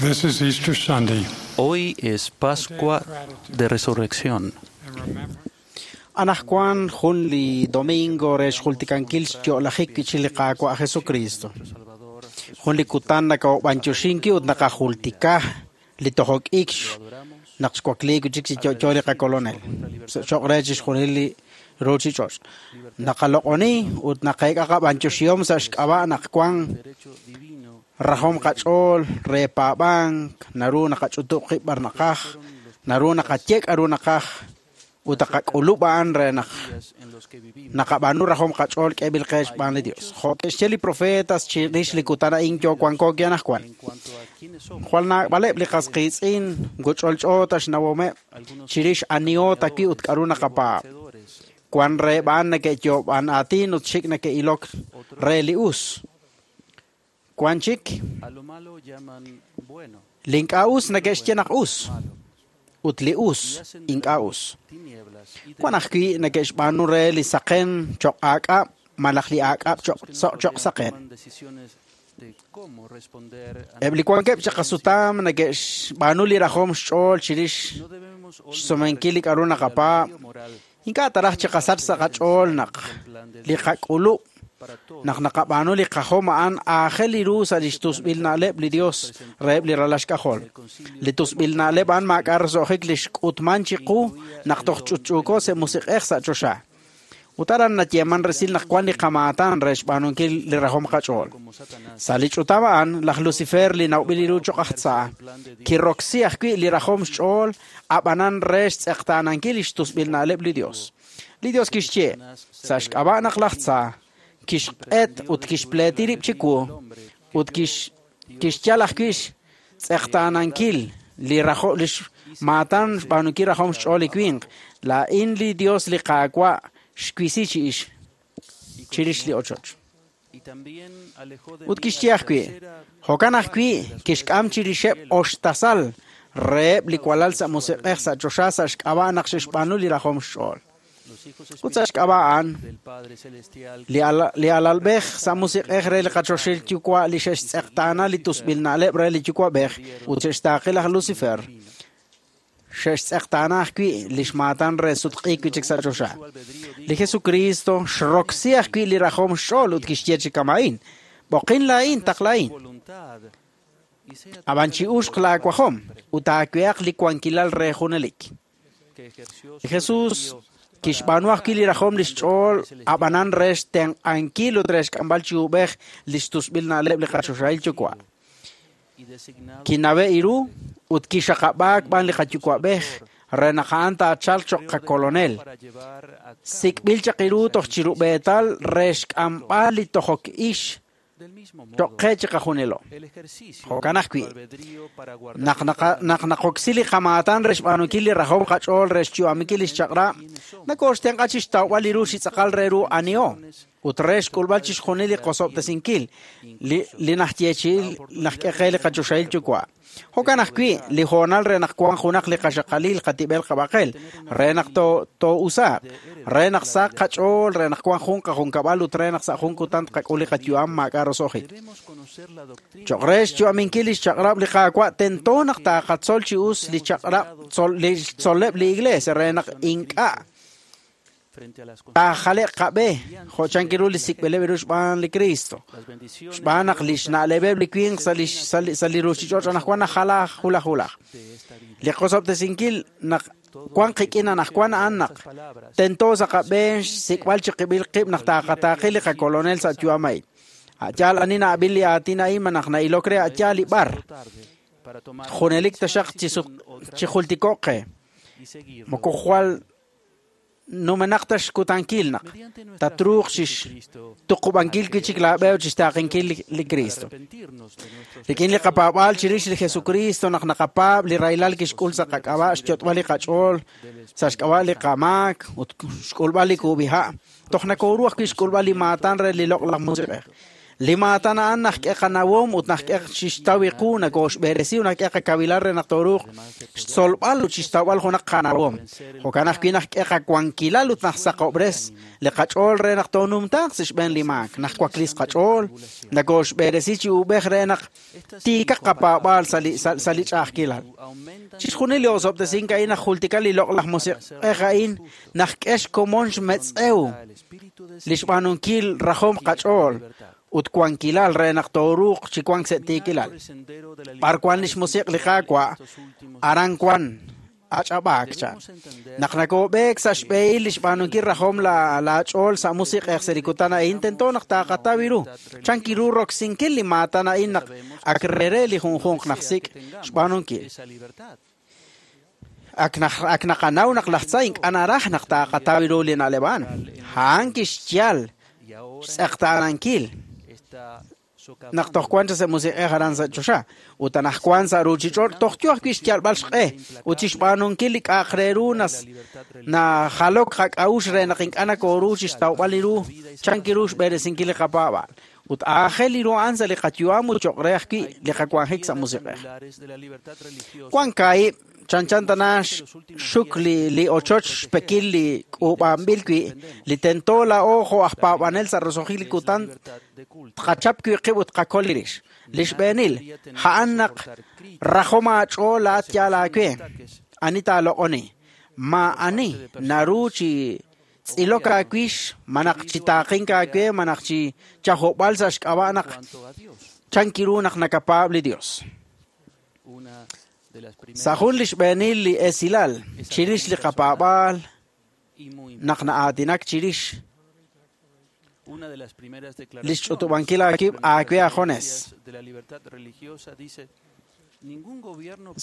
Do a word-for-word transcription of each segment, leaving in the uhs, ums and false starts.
This is Easter Sunday. Hoy es Pascua de Resurrección. And remember Anajwan jun li domingo re xjultikankil xyo'lajik kichil li Qaawa' Jesucristo. Jun li kutan nakawb'anyoxinki ut naqajultika li tojok ik naq xwakliik chik chi yo'yo li qakolonel. Cho'q re chixjunil li ruuchich'och'. Naqaloq'oni ut naqeek'a qab'anyoxihom sa' xk'ab'a' naq wan rajom qach'ool re paab'ank, naru naqach'utub' qib' b'ar naqaj, naru naqaye k'aru naqaj ut naqak'ulub' a'an re naq naqab'aanu rajom qach'ool k'eeb'il qe xb'aan li Dios. Jo' ke'xye li profetas chirix li kutan a'in yo wanko ki anajwan. Jwal naab'aleb' li qas qiitz'in guch'olch'o ta xnawomeb' chirix aniho ta wi' ut k'aru naqapaab'. Wan reheb' a'an neke'yoob'an aatin ut xik neke'ilok re li us. Wan chik li ink'a' us neke'xye naq us ut li us ink'a' us. Wan ajwi' neke'xb'aanu re li saqen cho'q aak'ab' malaj li aak'ab' cho'q cho'q saqen. Eb' li wankeb' chi qasutam neke'xb'aanu li rajom xch'ool chirix xsumenkil li k'aru naqapaab'. Ink'a' taraj chiqasach sa' qach'ool naq li qak'ulub' naq naqab'aanu li qajom a'an aajel li ru sa' lix tusb'il na'leb' li Dios reheb' li ralal xk'ajol. Li tusb'il na'leb' a'an maak'a' roso'jik li xk'utman chiqu naq toj ch'utch'uuko sa' musiq'ej sa' choxa. Ut aran nayeeman resil naq wan li qamaatan re xb'aanunkil li rajom qach'ool. Sa' li ch'utam a'an, laj Lucifer li nawb'il ru cho'q aj tza, kiroksi ajwi' li rajom xch'ool ab'anan re xtz'eqtaanankil li xtusb'il na'leb' li Dios. Li Dios kixye, sa' xk'ab'a' naq laj tza kixq'et ut kixpleeti rib' chiwu ut kix kixyal ajwi' xtz'eqtaanankil li rajo li xmaatan xb'aanunkil rajom xch'ool li winq. Laa'in li Dios li Qaawa' xwisi chi ix chirix li ochoch. Ut kixye ajwi', jo'kan ajwi' kixk'am chirixeb' oxtasal reheb' li walal sa' musiq'ej sa' choxa sa' xk'ab'a' naq xe'xb'aanu li rajom xch'ool. Ut sa' xk'ab'a' a'an, li ala- li alalb'ej sa' musiq'ej re li qachoxil yuwa' li xe'xtz'eqtaana li tusb'il na'leb' re li yuwa'b'ej ut xe'xtaaqi laj Lucifer, xe'xtz'eqtaana ajwi' li xmaatan re sutq'iik wi' chik sa' choxa. Li Jesucristo xroksi ajwi' li rajom xch'ool ut kixye chi kama'in, b'oqin laa'in taqla'in. Ab'an chi'uxq laawajom ut aawehaq li wankilal re junelik. Li Jesús kixb'aanu ajwi' li rajom li xch'ool ab'anan re xtenq'ankil ut re xk'amb'al chi ub'ej li xtusb'il na'leb' li qachoxahil yuwa'. Kinawe' iru ut kixaqab'aak b'an li qayuwa'b'ej re naq a'an taachalq cho'q qakolonel. Sik'b'il chaq iru toj chirub'eetal re xk'amb'al li tojok ix cho'q qe chiqajunilo. Jo'kan ajwi', naq naqa- naq naqoksi li qamaatan re xb'aanunkil li rajom qach'ool re xyu'aminkil li xchaq'rab', nakooxtenq'a chi xtawb'al li ru chi tz'aqal re ru aniho ut re xk'ulb'al chixjunil li qosob'tesinkil li li najyeechi'il najk'e qe li qachoxahil yuwa'. Jo'kan ajwi' li hoonal re naq wan junaq li qaxaqalil qatib'el qab'aqel, re naq to too'usaaq, re naq saq qach'ool, re naq wan jun qajunkab'al ut re naq sa' jun kutan tqak'ul li qayu'am maak'a' roso'jik. Cho'q re xyu'aminkil li xchaq'rab' li Qaawa' tento naq taaqatzol chi us li chaq'rab' tzol li xtzol'leb' li Iglesia re naq ink'a' taajale'q qab'e jo' chankiru li sik'b'ileb' ru xb'aan li Cristo. Xb'aan naq li xna'leb'eb' li winq sa' li sa' li sa' li ruuchich'och' anaqwan najalaj hulaj hulaj. Li qosob'tesinkil naq wan qik'in anaqwan a'an naq tento sa' qab'een xsik'b'al chiqib'il qib' naq taaqataaqi li qakolonel sa' yu'am a'in. A'yaal ani na'ab'il li aatin a'in ma naq na'ilok re a'yaal li b'ar. Junelik taxaq chi sut chi jultiko'q qe. Moko jwal numenaq ta xkutankil naq tatruuq chi xtuqub'ankil wi' chik laab'e ut chi xtaaqenkil li, li Cristo. Rik'in li qapaab'aal chirix li Jesucristo naq naqapaab' li rahilal kixk'ul sa' qak'ab'a' xyot'b'al li qach'ool sa' xk'ab'a' li qamaak ut xk'ulb'al li kub'iha', toj nakooru ajwi' xk'ulb'al li maatan re li loq'laj musiq'ej. Li maatan a'an najk'e qanawom ut najk'e chixtaw qu nakooxb'eresi ut najk'e qakawilal re naq tooruuq xtzolb'al ut chixtawb'al junaq qanawom. Jo'kan ajwi' najk'e qawankilal ut najsaqob'res li qach'ool re naq toonumtaaq sa' xb'een li maak. Najwaklis qach'ool nakooxb'eresi chi uub'ej re naq tiikaq qapaab'aal sa' li sa' li ch'a'ajkilal. Chixjunil li osob'tesink a'in najjultika li loq'laj musiq'ej a'in najk'e xkomon xmetz'ew li xb'aanunkil rajom qach'ool ut wankilal re naq tooruuq chi wank sa' tiikilal. B'ar wan li xmusiq' li Qaawa', aran wan ach'ab'aak chan. Naq nakoob'eek sa' xb'ehil li xb'aanunkil rajom la laach'ool sa' musiq'ej sa' li kutan a'in, tento naq taaqataw ru. Chan kiru roksinkil li maatan a'in naq ak rere li junjunq najsik' xb'aanunkil. Ak ak naqanaw naq laj tza ink'a' naraj naq taaqataw ru li na'leb' a'an. A'an kixyal xtz'eqtaanankil naq toj wan sa' musiq'ej aran sa' choxa ut anajwan sa' ruuchich'och' toj yo ajwi' xyalb'al xq'e ut chixb'aanunkil li k'a'aq re ru nas najalok qak'a'uxl re naq ink'a' nakooru chixtawb'al li ru chan kiru xb'eresinkil li qapaab'al ut aajel li ru a'an sa' li qayu'am ut cho'q re ajwi' li qawanjik sa' musiq'ej. Wan kaahib' chanchan tana xuk li li ochoch xpekil li k'uub'anb'il wi' li tento laa'o jo' aj paab'anel sa' roso'jik li kutan tqachap wi' qib' ut qakol li rix. Li xb'eenil a'an naq rajom aach'ool laat yaal aawe ani taaloq'oni ma ani naru chi tz'ilok aawix manaq chi taaqink aawe manaq chi chajob'al sa' xk'ab'a' naq chan kiru naq nakapaab' li Dios. Sa' jun li xb'eenil li esilal chirix li qapaab'aal naq na'aatinak chirix li xch'utub'ankil aakib' aawe ajones.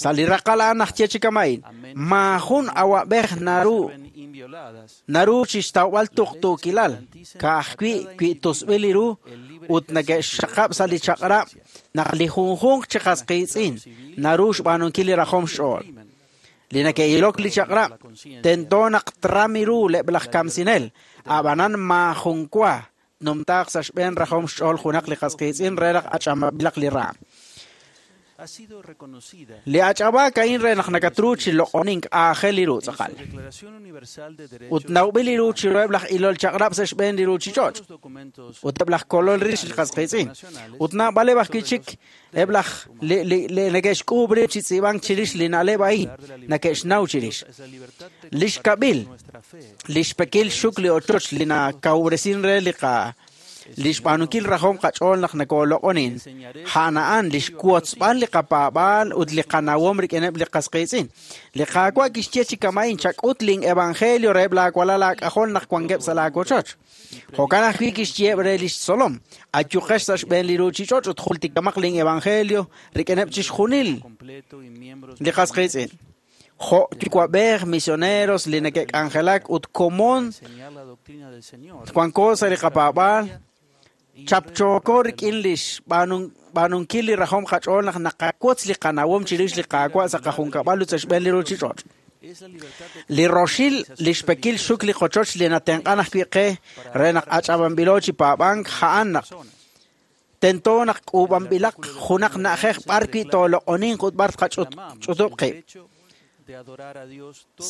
Sa' li raqal a'an najye chi kama'in maajun awab'ej naru naru chixtawb'al tuqtuukilal ka'ajwi' wi' tusb'il li ru ut neke'xxaqab' sa' li chaq'rab' naq li junjunq chi qas qiitz'in naru xb'aanunkil li rajom xch'ool. Li neke'ilok li chaq'rab' tento naq trami ru leb' laj kamsinel ab'anan maajun wa numtaaq sa' xb'een rajom xch'ool junaq li qas qiitz'in re naq ach'amab'ilaq li raam. Li ach'ab'aak a'in re naq nakatru chi loq'onink aajel li ru tz'aqal. Ut nawb'il li ru chiruheb' laj ilol chaq'rab' sa' xb'een li ruuchich'och' ut eb' laj kolol rix li qas qiitz'in. Ut naab'aleb' ajwi' chik eb' laj li li neke'xk'uub' rib' chi tz'iib'ank chirix li na'leb' a'in neke'xnaw chirix. Li xkab'il li xpekil xuk li ochoch li nakawresin re li qa li xb'aanunkil rajom qach'ool naq nakooloq'onin a'an a'an li xwotzb'al li qapaab'aal ut li qanawom rik'ineb' li qas qiitz'in. Li Qaawa' kixye chi kama'in chak'ut lin evangelio reheb' laawalal aak'ajol naq wankeb' sa' laawochoch. Jo'kan ajwi' kixyeheb' re li xtzolom ayuqex sa' xb'een li ruuchich'och' ut jultikamaq lin evangelio rik'ineb' chixjunil li qas qiitz'in. Jo' yuwa'b'ej misioneros li neke'k'anjelak ut komon wanko sa' li qapaab'aal chapchooko rik'in li xb'aanunkil li rajom qach'ool naq naqawotz li qanawom chirix li Qaawa' sa' qajunkab'al ut sa' xb'een li ruuchich'och'. Li roxil li xpekil xuk li qochoch li natenq'an ajwi' qe re naq ach'ab'anb'ilo chi paab'ank a'an naq tento naq k'uub'anb'ilaq junaq na'ajej b'ar wi' tooloq'oninq ut b'ar tqach'utub' qib'.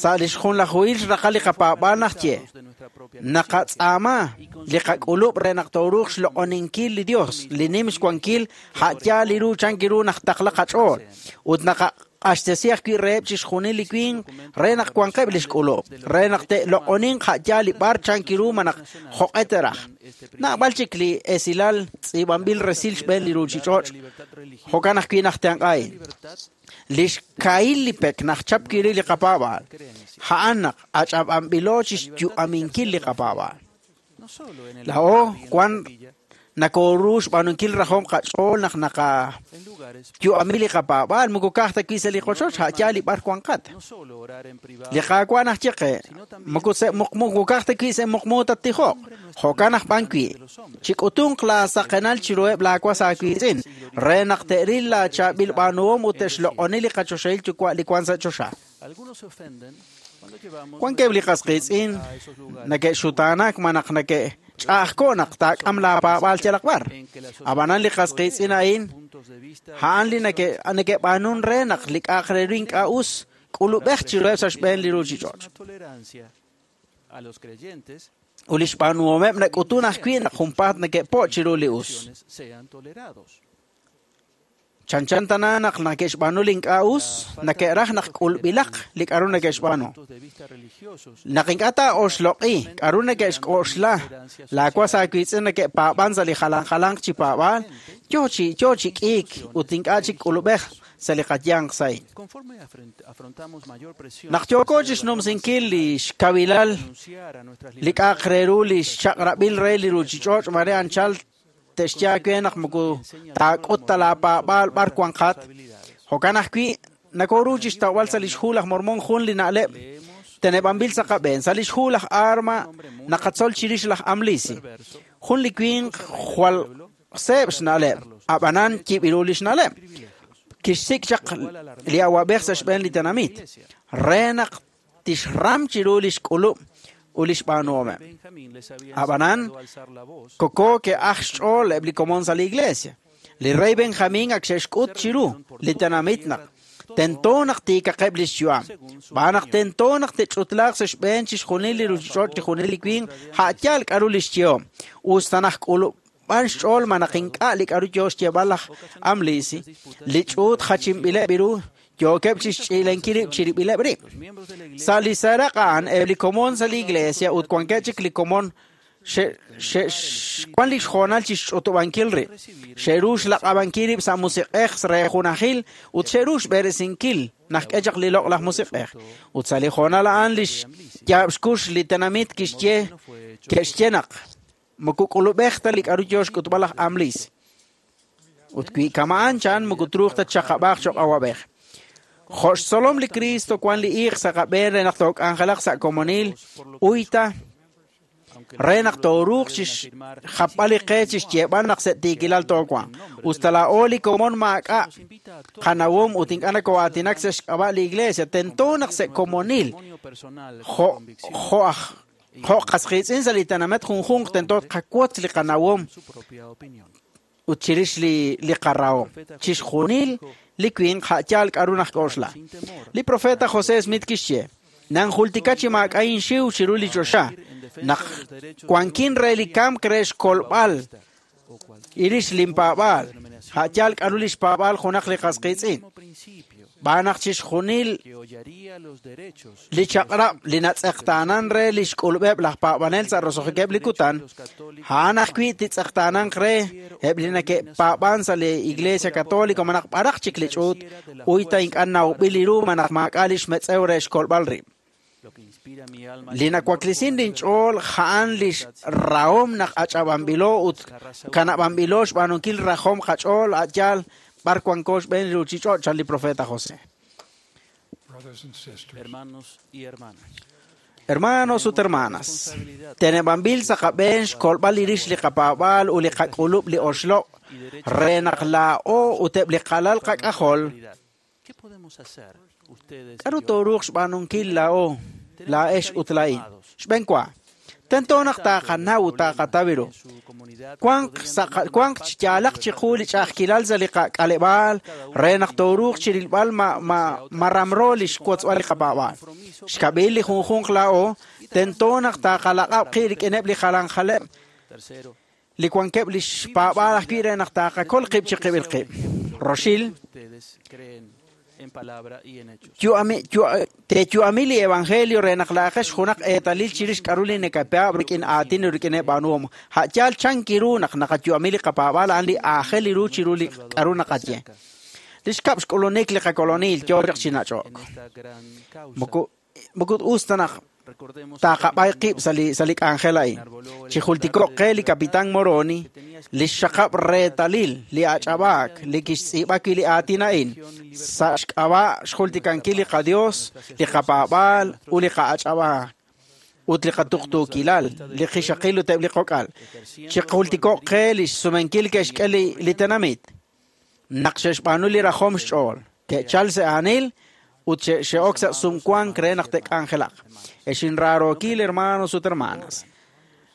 Sa' li xjunlajuhil xraqal li qapaab'aal najye naqatz'aama li qak'ulub' re naq tooruuq xloq'oninkil li Dios li nim xwankil a'yaal li ru chan kiru naq taqla qach'ool ut naqaq'axtesi ajwi' reheb' chixjunil li winq re naq wanqeb' li xk'ulub' re naq te'loq'oninq a'yaal li b'ar chan kiru manaq joq'e teraj. Naab'al chik li esilal tz'iib'anb'il resil xb'een li ruuchich'och' jo'kan ajwi' najtenq'a'in. Li xkahil li pek najchap kiri li qapaab'aal a'an naq ach'ab'anb'ilo chi xyu'aminkil li qapaab'aal. Laa'o wan nakooru xb'aanunkil rajom qach'ool naq naqayu'ami li qapaab'aal moko ka'aj ta wi' sa' li qochoch a'yaal li b'ar wanqat. Li Qaawa' najye qe moko sa' muqmu ka'aj ta wi' sa' muqmu tattijoq jo'kan aj b'an wi' chik'utunq laasaqenal chiruheb' laawas aawiitz'in re naq te'ril laachaab'il b'aanuhom ut te'xloq'oni li qachoxahil yuwa' li wan sa' choxa. Wankeb' li qas qiitz'in neke'xutaanak ma naq neke'ch'a'ajko' naq taak'am laapaab'aal yalaq b'ar. Ab'anan li qas qiitz'in a'in a'an li neke'b'aanun re naq li k'a'aq re ru ink'a' us k'ulub'ej chiruheb' sa' xb'een li ruuchich'och'. Ut li xb'aanuhomeb' nak'utun ajwi' naq junpaat neke'po' chiru li us. Chanchan tana naq neke'xb'aanu li ink'a' us, neke'raj naq k'ulb'ilaq li k'a'ru neke'xb'aanu. Naq ink'a' taa'oxloq'i k'a'ru neke'xk'oxla laawas aawiitz'in neke'paab'an sa' li jalan jalanq chi paab'aal, yo chi yo chi k'iik ut ink'a' chik k'ulub'ej sa' li qayanq sa'in. Naq yooko chixnumsinkil li xkawilal li k'a'aq re ru li xchaq'rab'il re li ruuchich'och' mare anchal te'xye aawe naq moko taak'ut ta laapaab'aal b'ar wanqat. Jo'kan ajwi' nakoru chixtawb'al sa' lix hu laj Mormon jun li na'leb' teneb'anb'il sa' qab'een. Sa' lix hu laj Arma naqatzol chirix laj Amlisi, jun li winq jwal seeb' xna'leb', ab'anan yib'iru li xna'leb'. Kixsik' chaq li awab'ej sa' xb'een li tenamit re naq tixram chiru li xk'ulub' ut li xb'aanuhomeb'. Ab'anan koko ke'aj xch'ool eb' li komon sa' li iglesia. Li rey Benjamín ak xe'xk'ut chiru li tenamit naq tento naq tiikaqeb' li xyu'am. B'aan naq tento naq te'ch'utlaaq sa' xb'een chixjunil li ruuchich'och' chixjunil li winq a'yaal k'a'ru li xyehom. Us ta naq k'ulub'an xch'ool ma naq ink'a' li k'a'ru yo xyeeb'al laj Amlisi, li ch'uut jachinb'ileb' ru yookeb' chixch'iilenkil rib' chirib'ileb' rib'. Sa' li seraq' a'an eb' li komon sa' li iglesia ut wankeb' chik li komon xe'wan li xhoonal chixch'utub'ankil rib'. Xe'ru xlaq'ab'ankil rib' sa' musiq'ej re junajil ut xe'ru xb'eresinkil naq k'e chaq li loq'laj musiq'ej. Ut sa' li hoonal a'an li xyaab' xkux li tenamit kixye ke'xye naq moko k'ulub'ej ta li k'a'ru yo xk'utb'al laj Amlis. Ut wi kama'an chan moko truuq ta txaqab'aaq cho'q awab'ej. Jo' xtzolom li Cristo wan li iiq sa' qab'een re naq took'anjelaq sa' komonil uyta re naq tooruuq chixjapb'al li qe chixyeeb'al naq se'tiikilal toowanq. Us ta laa'o li komon maak'a' qanawom ut ink'a' nakoo'aatinak sa' xk'ab'a' li iglesia, tento naq sa' komonil jo' jo' aj jo' qas qiitz'in sa' li tenamit junjunq tento tqawotz li qanawom ut chirix li li qarahom. Chixjunil li winq a'yaal k'a'ru najk'oxla. Li profeta José Smith kixye, nanjultika chi maak'a' inxiw chiru li choxa, naq wankin re li kamk re xkolb'al irix linpaab'aal, a'yaal k'a'ru li xpaab'aal junaq li qas qiitz'in. B'aan naq chixjunil li chaq'rab' li natz'eqtaanan re li xk'ulub'eb' laj paab'anel sa' roso'jikeb' li kutan, a'an ajwi' titz'eqtaananq re eb' li neke'paab'an sa' li Iglesia Católica ma naq b'araq chik li ch'uut, uyta ink'a' nawb'il li ru ma naq maak'a' li xmetz'ew re xkolb'al rib'. Li nawaklisin linch'ool a'an li xrahom naq ach'ab'anb'ilo ut kanab'anb'ilo xb'aanunkil rajom qach'ool a'yaal b'ar wanko xb'een li ruuchich'och' chan li profeta José. Brothers and sisters, Hermanos y hermanas. Hermanos ut hermanas, teneb'anb'il sa' qab'een xkolb'al li rix li qapaab'aal ut li qak'ulub' li oxloq' re naq laa'o ut eb' li qalal qak'ajol. ¿Qué podemos hacer ustedes? K'a'ru tooruuq xb'aanunkil laa'o, laa'ex ut laa'in? Xb'een wa, tento naq taaqanaw ut taaqataw ru. Wanq sa' qa- wanq xyaalaq chiqu li ch'a'ajkilal sa' li qak'aleb'aal re naq tooruuq chirilb'al ma ma ma ramro li xwotzb'al li qapaab'aal. Xkab'il li junjunq laa'o, tento naq taaqalaq'ab' qib' rik'ineb' li jalan jaleb' Tercero, li wankeb' li xpaab'aal ajwi' re naq taaqakol qib' chiqib'il qib'. Roxil, ustedes creen en palabra y en hechos. yu'ami yu- teeyu'ami li evangelio re naq laa'ajex junaq eetalil chirix k'a'ru li nekapaab' rik'in aatin ut rik'ineb' b'aanuhom. A'yaal chanki ru naq naqayu'ami li qapaab'aal a'an li aajel ru chiru li k'a'ru naqaye. Li xkab' xk'ulunik li qakolonil yo chaq chi nach'ok. En esta gran causa, Moko moko us ta naq recordemos taaqab'ay qib' sa' li sa' li k'anjel a'in. Chijultiko'q qe li Capitán Moroni, li xxaqab' reetalil li ach'ab'aak li kixtz'iib'a wi' li aatin a'in sa' xk'ab'a' xjultikankil li qaDios, li qapaab'aal ut li qa'ach'ab'aak ut li qatuqtuukilal, li qixaqil ut eb' li qok'al. Chijultiko'q qe li xsumenkil ke'xk'e li, li tenamit naq xe'xb'aanu li rajom xch'ool, ke'chal sa' aanil ut xe'ok sa' sumwank re naq te'k'anjelaq. Ex inraarookil hermanos ut hermanas,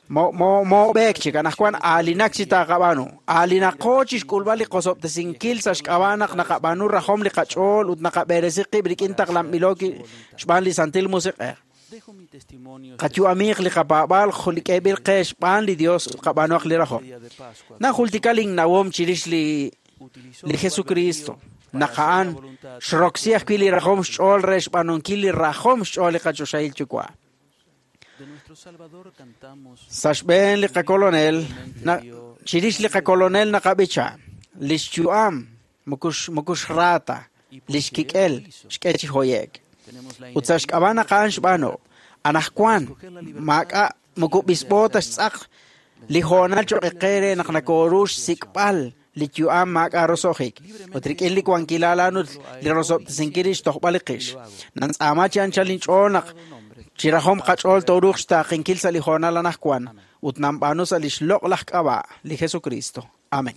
moob'eek chik anaqwan aalinak chi taaqab'aanu. Aalinaqo chixk'ulb'al li qosob'tesinkil sa' xk'ab'a' naq naqab'aanu rajom li qach'ool ut naqab'eresi qib' rik'in taqlanb'ilo xb'aan li Santil Musiq'ej. Qayu'amiiq li qapaab'aal li k'eeb'il qe xb'aan li Dios ut qab'aanuaq li rajom. Najultika linnawom chirix li li Jesucristo. Naq a'an xroksi ajwi' li rajom xch'ool re xb'aanunkil li rajom xch'ool li qachoxahil yuwa'. Sa' xb'een li qakolonel, chirix li qakolonel naqab'icha, li xyu'am moko xraata, li xkik'el xk'e chi hoye'k. Ut sa' xk'ab'a' naq a'an xb'aanu, anaqwan maak'a' moko b'isb'o ta xtz'aq li hoonal cho'q qe re naq nakoru xsik'b'al li yu'am maak'a' roso'jik. Ut rik'in li wankilal a'an ut li rosob'tesinkil li xtojb'al li qix. Nantz'aama chi anchal inch'ool naq chi rajom qach'ool tooruuq xtaaqinkil sa' li hoonal anaqwan ut nanb'aanu sa' li xloq'laj k'ab'a' li Jesucristo. Amén.